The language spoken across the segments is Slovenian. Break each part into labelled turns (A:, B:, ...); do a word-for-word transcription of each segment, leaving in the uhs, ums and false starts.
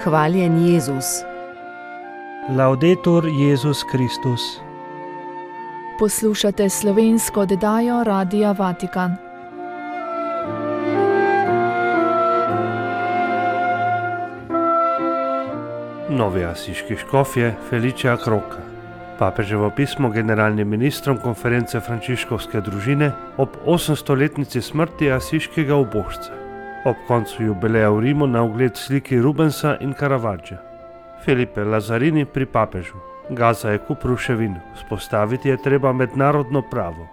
A: Hvaljen Jezus.
B: Laudetur Jezus Kristus.
C: Poslušate slovensko oddajo Radia Vatikan.
B: Novi asiški škofje Felicia Croca. Papeževo pismo generalnim ministrom konference frančiškovske družine ob osemstoletnici smrti asiškega ubožca. Ob koncu jubileja v Rimu na ogled sliki Rubensa in Caravaggia. Felipe Lazzarini pri papežu. Gaza je kup ruševin, vzpostaviti je treba mednarodno pravo.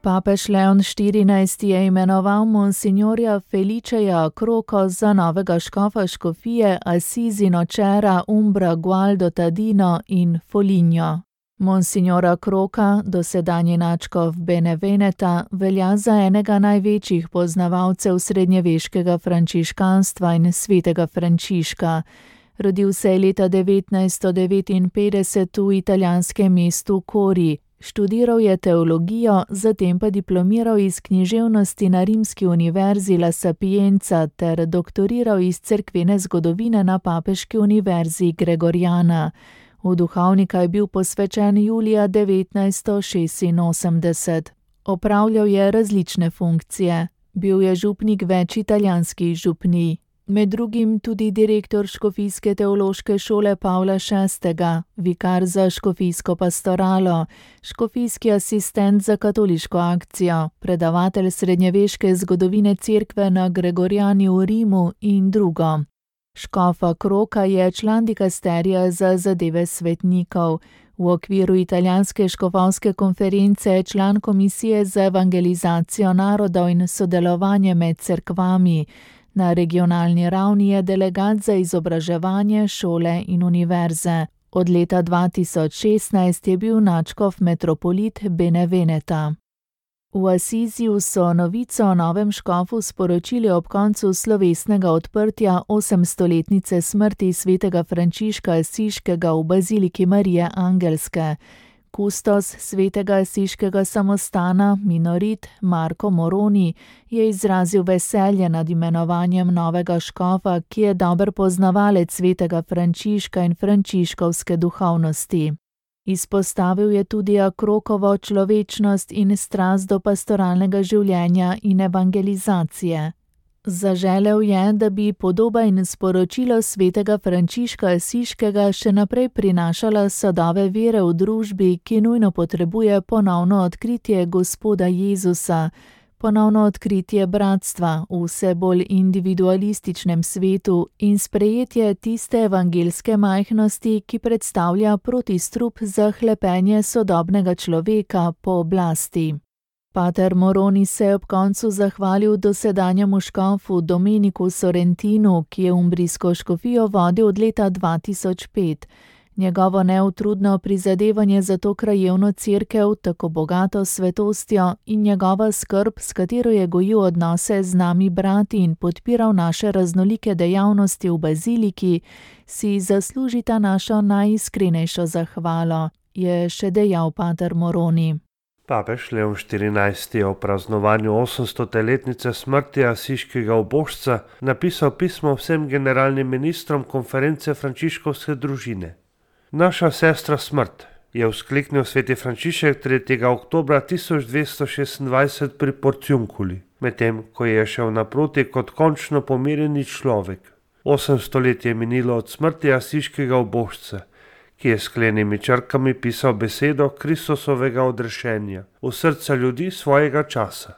C: Papež Leon štirinajsti je imenoval monsignorja Feliceja Croco za novega škofa škofije Assisi Nocera, Umbra, Gualdo, Tadino in Foligno. Monsignora Croca, dosedanji nadškof Beneveneta, velja za enega največjih poznavalcev srednjeveškega frančiškanstva in svetega Frančiška. Rodil se je leta devetnajststo devetinpetdeset v italijanskem mestu Cori. Študiral je teologijo, zatem pa diplomiral iz književnosti na rimski univerzi La Sapienza ter doktoriral iz cerkvene zgodovine na papeški univerzi Gregoriana. V duhovnika je bil posvečen julija devetnajststo šestinosemdeset. Opravljal je različne funkcije. Bil je župnik več italijanskih župnij. Med drugim tudi direktor škofijske teološke šole Pavla šestega, vikar za škofijsko pastoralo, škofijski asistent za katoliško akcijo, predavatelj srednjeveške zgodovine cerkve na Gregoriani v Rimu in drugo. Škofa Croca je član dikasterija za zadeve svetnikov. V okviru italijanske škofovske konference je član komisije za evangelizacijo narodov in sodelovanje med cerkvami. Na regionalni ravni je delegat za izobraževanje, šole in univerze. Od leta dva tisoč šestnajst je bil nadškof metropolit Beneveneta. V Assisiju so novico o novem škofu sporočili ob koncu slovesnega odprtja osemstoletnice smrti svetega Frančiška Asiškega v baziliki Marije Angelske. Kustos svetega asiškega samostana, minorit Marko Moroni, je izrazil veselje nad imenovanjem novega škofa, ki je dober poznavalec svetega Frančiška in frančiškovske duhovnosti. Izpostavil je tudi Crocovo človečnost in strast do pastoralnega življenja in evangelizacije. Zaželel je, da bi podoba in sporočilo svetega Frančiška Asiškega še naprej prinašala sadove vere v družbi, ki nujno potrebuje ponovno odkritje Gospoda Jezusa, ponovno odkritje bratstva v vse bolj individualističnem svetu in sprejetje tiste evangelske majhnosti, ki predstavlja protistrup za hlepenje sodobnega človeka po oblasti. Pater Moroni se je ob koncu zahvalil dosedanjemu škofu Domeniku Sorrentinu, ki je umbrijsko škofijo vodil od leta dva tisoč pet. Njegovo neutrudno prizadevanje za to krajevno cerkev, tako bogato svetostjo in njegova skrb, s katero je gojil odnose z nami brati in podpiral naše raznolike dejavnosti v baziliki, si zaslužita našo najiskrenejšo zahvalo, je še dejal pater Moroni.
B: Papež Leon štirinajsti je o praznovanju osemstoletnice smrti asiškega ubožca napisal pismo vsem generalnim ministrom konference frančiškovske družine. Naša sestra smrt, je vzkliknil sveti Frančišek tretjega oktobra tisoč dvesto šestindvajset pri Porciunculi, medtem ko je šel naproti kot končno pomirjeni človek. Osemsto let je minilo od smrti asiškega ubožca, ki je s sklenimi črkami pisal besedo Kristusovega odrešenja v srca ljudi svojega časa.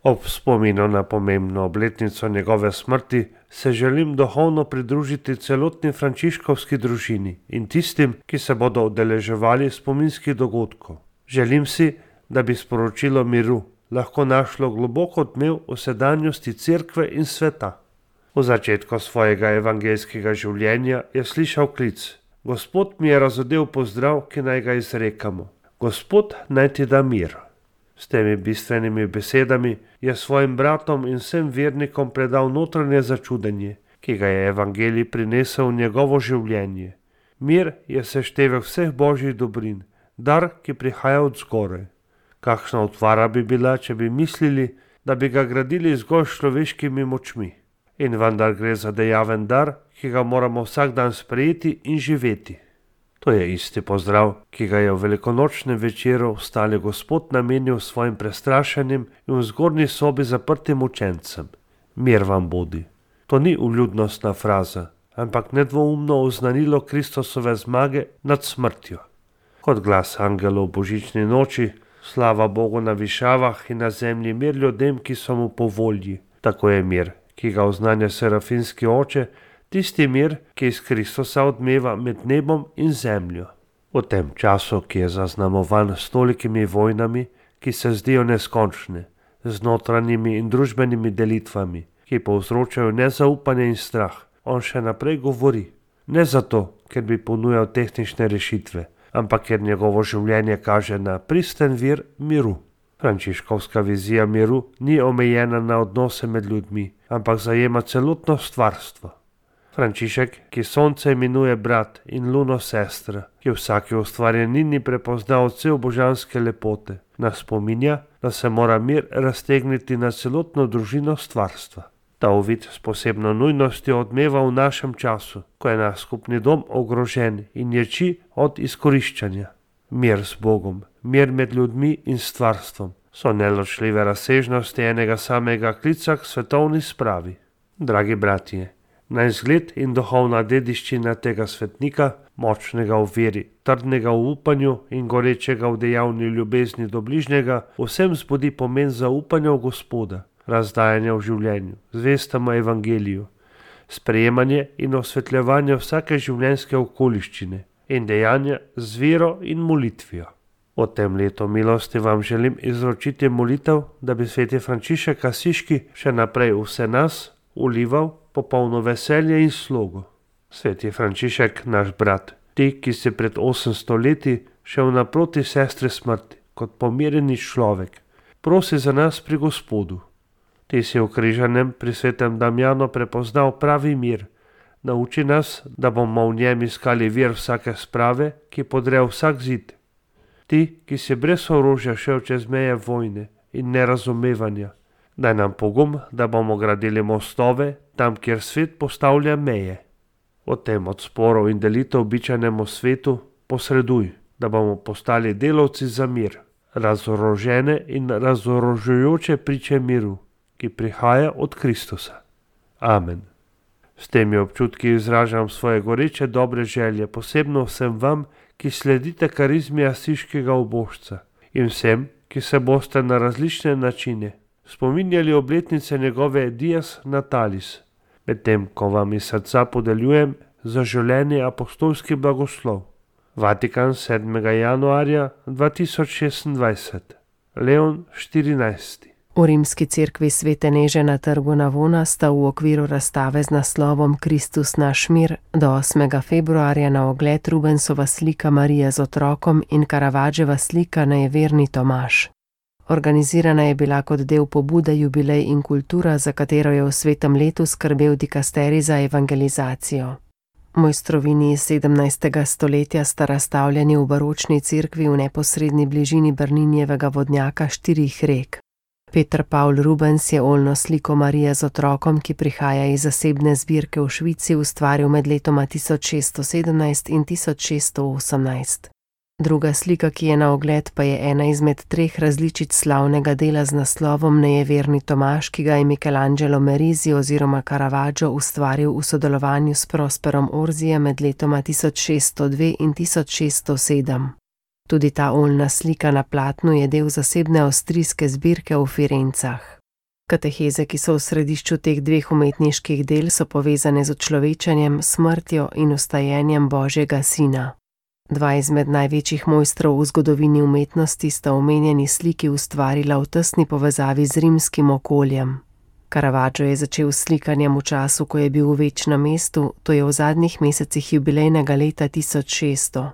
B: Ob spominu na pomembno obletnico njegove smrti se želim duhovno pridružiti celotni frančiškovski družini in tistim, ki se bodo udeleževali spominskih dogodkov. Želim si, da bi sporočilo miru lahko našlo globoko odmev v sedanjosti cerkve in sveta. V začetku svojega evangelskega življenja je slišal klic: Gospod mi je razodel pozdrav, ki naj ga izrekamo. Gospod naj ti da mir. S temi bistvenimi besedami je svojim bratom in vsem vernikom predal notranje začudenje, ki ga je evangelij prinesel v njegovo življenje. Mir je seštevek vseh božjih dobrin, dar, ki prihaja od zgoraj. Kakšna utvara bi bila, če bi mislili, da bi ga gradili zgolj s človeškimi močmi. In vendar gre za dejaven dar, ki ga moramo vsak dan sprejeti in živeti. To je isti pozdrav, ki ga je v velikonočnem večeru vstali Gospod namenil svojim prestrašenim in v zgornji sobi zaprtim učencem. Mir vam bodi. To ni vljudnostna fraza, ampak nedvoumno oznanilo Kristusove zmage nad smrtjo. Kot glas angelov v božični noči, slava Bogu na višavah in na zemlji mir ljudem, ki so mu po volji. Tako je mir, ki ga oznanja serafinski oče, tisti mir, ki iz Kristusa odmeva med nebom in zemljo. V tem času, ki je zaznamovan s tolikimi vojnami, ki se zdijo neskončne, z notranjimi in družbenimi delitvami, ki povzročajo nezaupanje in strah, on še naprej govori. Ne zato, ker bi ponujal tehnične rešitve, ampak ker njegovo življenje kaže na pristen vir miru. Frančiškovska vizija miru ni omejena na odnose med ljudmi, ampak zajema celotno stvarstvo. Frančišek, ki sonce imenuje brat in luno sestra, ki v vsaki ustvarjenini prepozna odsev božanske lepote, nas spominja, da se mora mir raztegniti na celotno družino stvarstva. Ta uvid s posebno nujnostjo odmeva v našem času, ko je naš skupni dom ogrožen in ječi od izkoriščanja. Mir z Bogom, mir med ljudmi in stvarstvom so neločljive razsežnosti enega samega klica k svetovni spravi. Dragi bratje, na izgled in duhovna dediščina tega svetnika, močnega v veri, trdnega v upanju in gorečega v dejavni ljubezni do bližnjega, vsem zbudi pomen zaupanja v Gospoda, razdajanja v življenju, zvestama evangeliju, sprejemanje in osvetljevanje vsake življenjske okoliščine in dejanja z vero in molitvijo. V tem letu milosti vam želim izročiti molitev, da bi sveti Frančišek Asiški še naprej vse nas ulival popolno veselje in slogo. Sveti Frančišek, naš brat, ti, ki si pred osemsto leti šel naproti sestri smrti kot pomirjeni človek, prosi za nas pri Gospodu. Ti si v križanem pri svetem Damjanu prepoznal pravi mir. Nauči nas, da bomo v njem iskali vir vsake sprave, ki podre vsak zid. Ti, ki si brez orožja šel čez meje vojne in nerazumevanja, daj nam pogum, da bomo gradili mostove tam, kjer svet postavlja meje. O tem od sporov in delitev običajnemu svetu posreduj, da bomo postali delavci za mir, razorožene in razorožujoče priče miru, ki prihaja od Kristusa. Amen. S temi občutki izražam svoje goreče dobre želje, posebno vsem vam, ki sledite karizmi asiškega ubožca, in vsem, ki se boste na različne načine spominjali obletnice njegove Dies Natalis, medtem ko vam iz srca podeljujem zaželeni apostolski blagoslov. Vatikan, sedmega januarja dva tisoč šestindvajset. Leon štirinajsti.
A: V rimski cerkvi Svete Neže na trgu Navona sta v okviru razstave z naslovom Kristus naš mir do osmega februarja na ogled Rubensova slika Marije z otrokom in Caravaggiova slika Nejeverni Tomaž. Organizirana je bila kot del pobude Jubilej in kultura, za katero je v svetem letu skrbel dikasterij za evangelizacijo. Mojstrovini iz sedemnajstega stoletja sta razstavljeni v baročni cerkvi v neposredni bližini Brninjevega vodnjaka štirih rek. Peter Paul Rubens je oljno sliko Marije z otrokom, ki prihaja iz zasebne zbirke v Švici, ustvaril med letoma tisoč šeststo sedemnajst in tisoč šeststo osemnajst. Druga slika, ki je na ogled, pa je ena izmed treh različic slavnega dela z naslovom Nejeverni Tomaž, ki ga je Michelangelo Merisi oziroma Caravaggio ustvaril v sodelovanju s Prosperom Orzijem med letoma tisoč šeststo dve in tisoč šeststo sedem. Tudi ta oljna slika na platnu je del zasebne avstrijske zbirke v Firencah. Kateheze, ki so v središču teh dveh umetniških del, so povezane z učlovečenjem, smrtjo in vstajenjem Božjega Sina. Dva izmed največjih mojstrov v zgodovini umetnosti sta omenjeni sliki ustvarila v tesni povezavi z rimskim okoljem. Caravaggio je začel s slikanjem v času, ko je bil v večnem mestu, to je v zadnjih mesecih jubilejnega leta tisoč šeststo.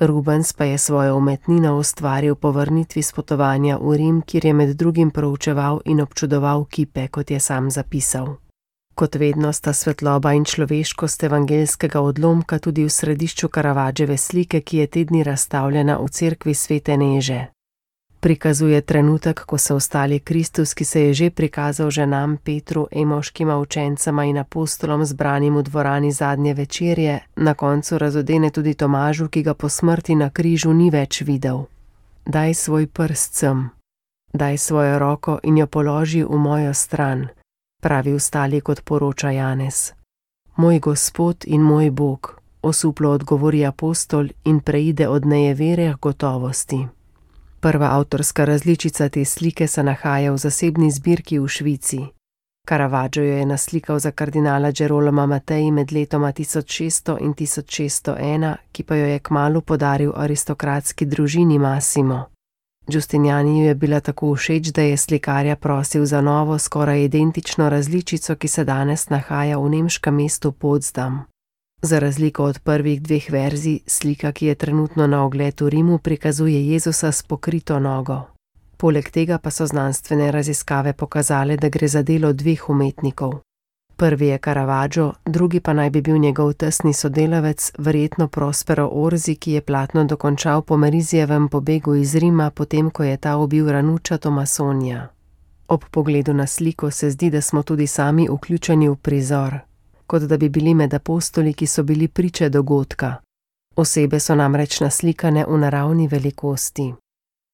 A: Rubens pa je svojo umetnino ustvaril po vrnitvi s potovanja v Rim, kjer je med drugim proučeval in občudoval kipe, kot je sam zapisal. Kot vedno sta svetloba in človeškost evangeljskega odlomka tudi v središču Caravaggiove slike, ki je te dni razstavljena v cerkvi Svete Neže. Prikazuje trenutek, ko se ustali Kristus, ki se je že prikazal ženam Petru, Emaškima učencema in apostolom zbranim v dvorani zadnje večerje, na koncu razodene tudi Tomažu, ki ga po smrti na križu ni več videl. Daj svoj prst sem, daj svojo roko in jo položi v mojo stran, pravi ustali, kot poroča Janez. Moj Gospod in moj Bog, osuplo odgovori apostol in preide od nejevere k gotovosti. Prva avtorska različica te slike se nahaja v zasebni zbirki v Švici. Caravaggio jo je naslikal za kardinala Gerolama Matei med letoma tisoč šeststo in tisoč šeststo ena, ki pa jo je kmalu podaril aristokratski družini Massimo. Giustinianiju je bila tako všeč, da je slikarja prosil za novo, skoraj identično različico, ki se danes nahaja v nemškem mestu Potsdam. Za razliko od prvih dveh verzij, slika, ki je trenutno na ogled v Rimu, prikazuje Jezusa s pokrito nogo. Poleg tega pa so znanstvene raziskave pokazale, da gre za delo dveh umetnikov. Prvi je Caravaggio, drugi pa naj bi bil njegov tesni sodelavec, verjetno Prospero Orsi, ki je platno dokončal po Merizijevem pobegu iz Rima, potem ko je ta ubil Ranuccia Tomasonija. Ob pogledu na sliko se zdi, da smo tudi sami vključeni v prizor, kot da bi bili med apostoli, ki so bili priče dogodka. Osebe so namreč naslikane v naravni velikosti.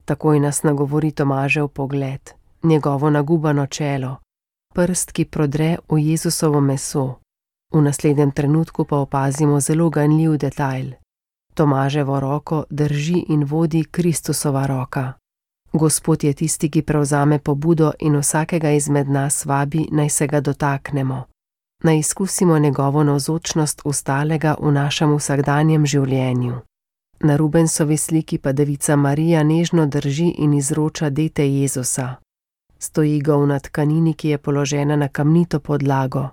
A: Takoj nas nagovori Tomažev pogled, njegovo nagubano čelo, prst, ki prodre v Jezusovo meso. V naslednjem trenutku pa opazimo zelo ganljiv detajl. Tomaževo roko drži in vodi Kristusova roka. Gospod je tisti, ki prevzame pobudo in vsakega izmed nas vabi, naj se ga dotaknemo. Naj izkusimo njegovo navzočnost ustalega v našem vsakdanjem življenju. Na Rubensovi sliki pa Devica Marija nežno drži in izroča dete Jezusa. Stoji ga v tkanini, ki je položena na kamnito podlago.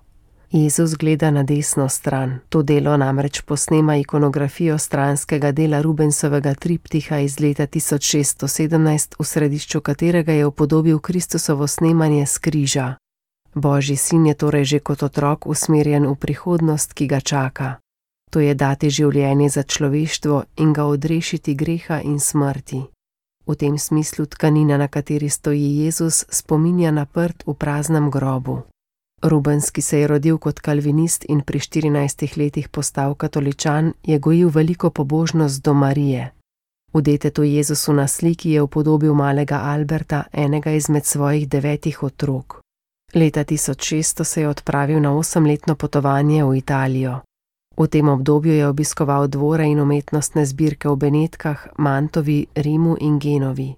A: Jezus gleda na desno stran. To delo namreč posnema ikonografijo stranskega dela Rubensovega triptiha iz leta tisoč šeststo sedemnajst, v središču katerega je upodobil Kristusovo snemanje s križa. Božji sin je torej že kot otrok usmerjen v prihodnost, ki ga čaka. To je dati življenje za človeštvo in ga odrešiti greha in smrti. V tem smislu tkanina, na kateri stoji Jezus, spominja na prt v praznem grobu. Rubens, ki se je rodil kot kalvinist in pri štirinajstih letih postal katoličan, je gojil veliko pobožnost do Marije. V detetu Jezusu na sliki je upodobil malega Alberta, enega izmed svojih devetih otrok. Leta tisoč šeststo se je odpravil na osemletno potovanje v Italijo. V tem obdobju je obiskoval dvore in umetnostne zbirke v Benetkah, Mantovi, Rimu in Genovi.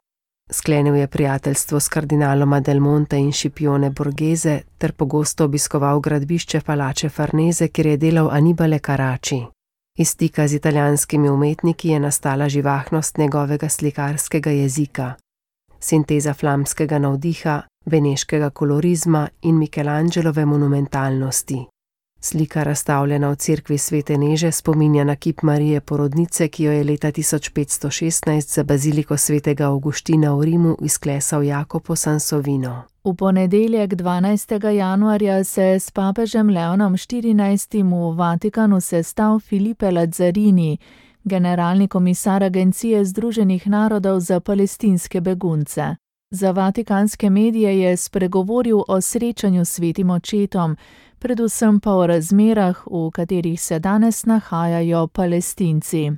A: Sklenil je prijateljstvo s kardinaloma Del Monte in Scipione Borghese ter pogosto obiskoval gradbišče Palače Farnese, kjer je delal Annibale Carracci. Iz stika z italijanskimi umetniki je nastala živahnost njegovega slikarskega jezika. Sinteza flamskega navdiha, beneškega kolorizma in Michelangelove monumentalnosti. Slika, razstavljena v cerkvi Svete Neže, spominja na kip Marije Porodnice, ki jo je leta tisoč petsto šestnajst za baziliko svetega Avguština v Rimu izklesal Jacopo Sansovino.
C: V ponedeljek dvanajstega januarja se je s papežem Leonom štirinajstim v Vatikanu sestal Filipe Lazzarini, generalni komisar Agencije Združenih narodov za palestinske begunce. Za vatikanske medije je spregovoril o srečanju s svetim očetom, predvsem pa o razmerah, v katerih se danes nahajajo Palestinci.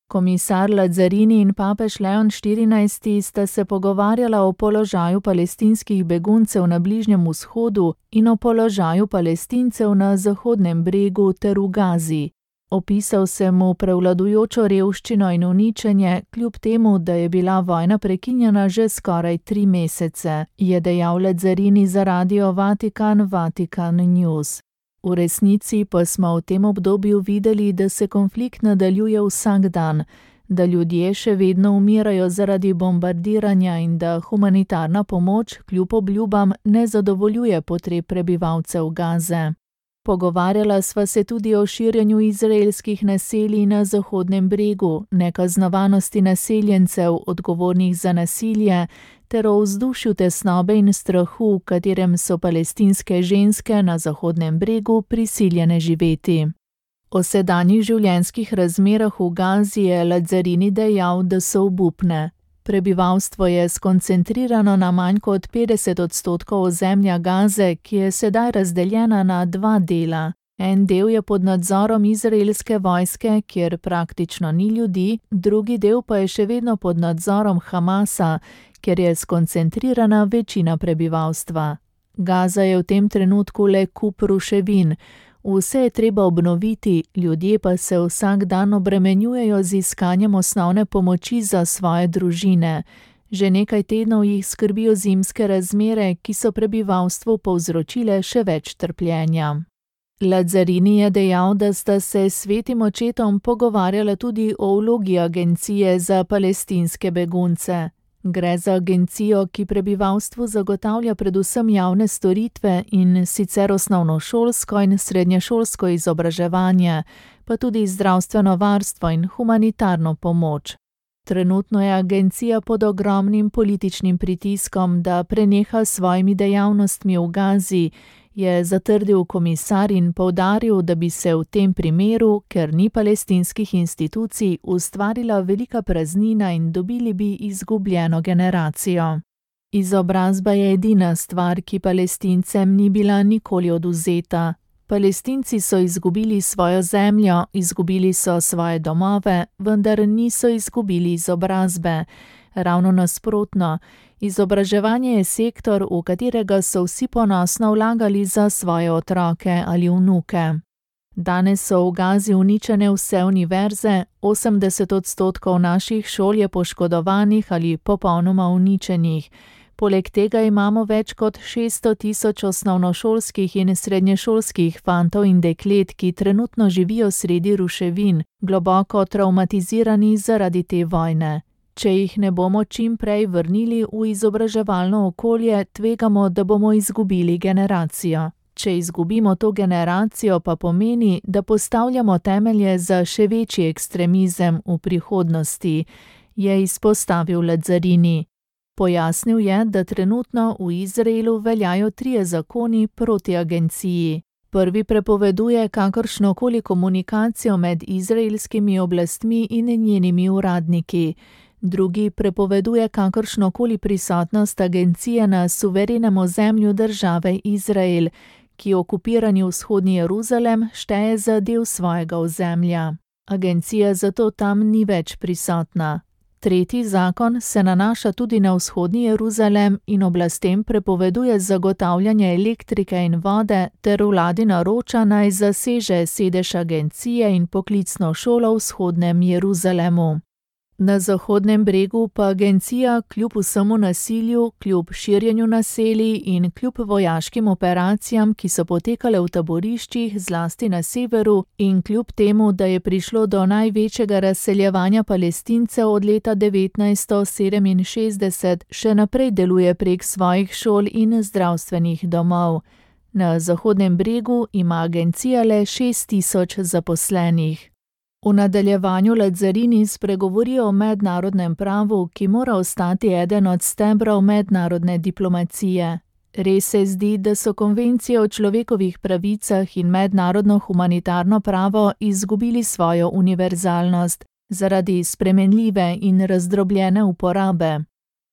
C: Komisar Lazzarini in papež Leon štirinajsti sta se pogovarjala o položaju palestinskih beguncev na Bližnjem vzhodu in o položaju Palestincev na Zahodnem bregu ter v Gazi. Opisal se mu prevladujočo revščino in uničenje, kljub temu, da je bila vojna prekinjena že skoraj tri mesece, je dejal Lazzarini za radio Vatikan Vatikan News. V resnici pa smo v tem obdobju videli, da se konflikt nadaljuje vsak dan, da ljudje še vedno umirajo zaradi bombardiranja in da humanitarna pomoč kljub obljubam ne zadovoljuje potreb prebivalcev Gaze. Pogovarjala sva se tudi o širjenju izraelskih naselij na Zahodnem bregu, nekaznovanosti naseljencev, odgovornih za nasilje, ter o vzdušju tesnobe in strahu, v katerem so palestinske ženske na Zahodnem bregu prisiljene živeti. O sedanjih življenjskih razmerah v Gazi je Lazzarini dejal, da so obupne. Prebivalstvo je skoncentrirano na manj kot petdeset odstotkov ozemlja Gaze, ki je sedaj razdeljena na dva dela. En del je pod nadzorom izraelske vojske, kjer praktično ni ljudi, drugi del pa je še vedno pod nadzorom Hamasa, kjer je skoncentrirana večina prebivalstva. Gaza je v tem trenutku le kup ruševin. Vse je treba obnoviti, ljudje pa se vsak dan obremenjujejo z iskanjem osnovne pomoči za svoje družine. Že nekaj tednov jih skrbijo zimske razmere, ki so prebivalstvu povzročile še več trpljenja. Lazzarini je dejal, da sta se s svetim očetom pogovarjala tudi o vlogi agencije za palestinske begunce. Gre za agencijo, ki prebivalstvu zagotavlja predvsem javne storitve in sicer osnovnošolsko in srednješolsko izobraževanje, pa tudi zdravstveno varstvo in humanitarno pomoč. Trenutno je agencija pod ogromnim političnim pritiskom, da preneha s svojimi dejavnostmi v Gazi, je zatrdil komisar in poudaril, da bi se v tem primeru, ker ni palestinskih institucij, ustvarila velika praznina in dobili bi izgubljeno generacijo. Izobrazba je edina stvar, ki Palestincem ni bila nikoli odvzeta. Palestinci so izgubili svojo zemljo, izgubili so svoje domove, vendar niso izgubili izobrazbe. Ravno nasprotno, izobraževanje je sektor, v katerega so vsi ponosno vlagali za svoje otroke ali vnuke. Danes so v Gazi uničene vse univerze, osemdeset odstotkov naših šol je poškodovanih ali popolnoma uničenih. Poleg tega imamo več kot šeststo tisoč osnovnošolskih in srednješolskih fantov in deklet, ki trenutno živijo sredi ruševin, globoko travmatizirani zaradi te vojne. Če jih ne bomo čim prej vrnili v izobraževalno okolje, tvegamo, da bomo izgubili generacijo. Če izgubimo to generacijo, pa pomeni, da postavljamo temelje za še večji ekstremizem v prihodnosti, je izpostavil Lazzarini. Pojasnil je, da trenutno v Izraelu veljajo trije zakoni proti agenciji. Prvi prepoveduje kakršnokoli komunikacijo med izraelskimi oblastmi in njenimi uradniki. Drugi prepoveduje kakršnokoli prisotnost agencije na suverenem ozemlju države Izrael, ki okupirani vzhodni Jeruzalem šteje za del svojega ozemlja. Agencija zato tam ni več prisotna. Tretji zakon se nanaša tudi na vzhodni Jeruzalem in oblastem prepoveduje zagotavljanje elektrike in vode ter vladi naroča naj zaseže sedež agencije in poklicno šolo v vzhodnem Jeruzalemu. Na Zahodnem bregu pa agencija kljub vsemu nasilju, kljub širjenju naselij in kljub vojaškim operacijam, ki so potekale v taboriščih zlasti na severu in kljub temu, da je prišlo do največjega razseljevanja Palestincev od leta devetnajststo sedeminšestdeset, še naprej deluje prek svojih šol in zdravstvenih domov. Na Zahodnem bregu ima agencija le šest tisoč zaposlenih. V nadaljevanju Lazzarini spregovori o mednarodnem pravu, ki mora ostati eden od stebrov mednarodne diplomacije. Res se zdi, da so konvencije o človekovih pravicah in mednarodno humanitarno pravo izgubili svojo univerzalnost zaradi spremenljive in razdrobljene uporabe.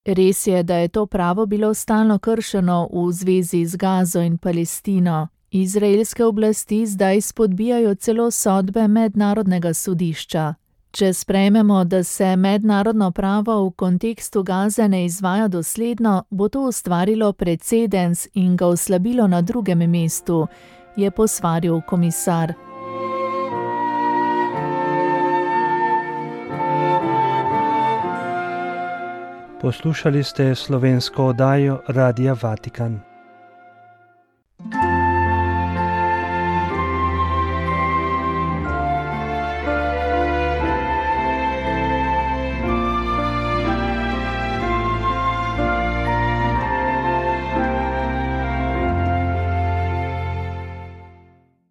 C: Res je, da je to pravo bilo stalno kršeno v zvezi z Gazo in Palestino. Izraelske oblasti zdaj spodbijajo celo sodbe mednarodnega sodišča. Če sprejmemo, da se mednarodno pravo v kontekstu Gaze ne izvaja dosledno, bo to ustvarilo precedens in ga oslabilo na drugem mestu, je posvaril komisar.
D: Poslušali ste slovensko oddajo Radia Vatikan.